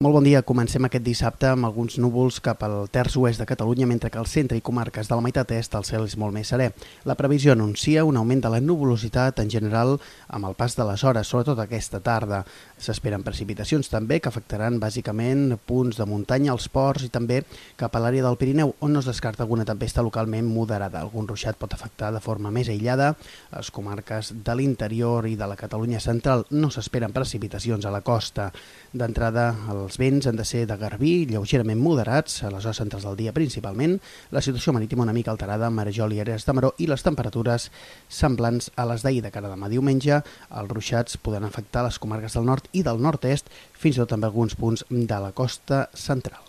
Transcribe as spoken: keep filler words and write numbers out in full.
Molt bon dia. Comencem aquest dissabte amb alguns núvols cap al terç oest de Catalunya, mentre que al centre i comarques de la meitat est el cel és molt més serè. La previsió anuncia un augment de la nuvolositat en general amb el pas de les hores, sobretot aquesta tarda. S'esperen precipitacions també que afectaran bàsicament punts de muntanya, els ports i també cap a l'àrea del Pirineu, on no es descarta alguna tempesta localment moderada. Algun ruixat pot afectar de forma més aïllada. A les comarques de l'interior i de la Catalunya central no s'esperen precipitacions a la costa. D'entrada, els vents han de ser de garbí, lleugerament moderats, a les hores centrals del dia principalment, la situació marítima una mica alterada a Marejol i Ares de Maró i les temperatures semblants a les d'ahir. De cara a demà diumenge, els ruixats poden afectar les comarques del nord i del nord-est, fins i tot amb alguns punts de la costa central.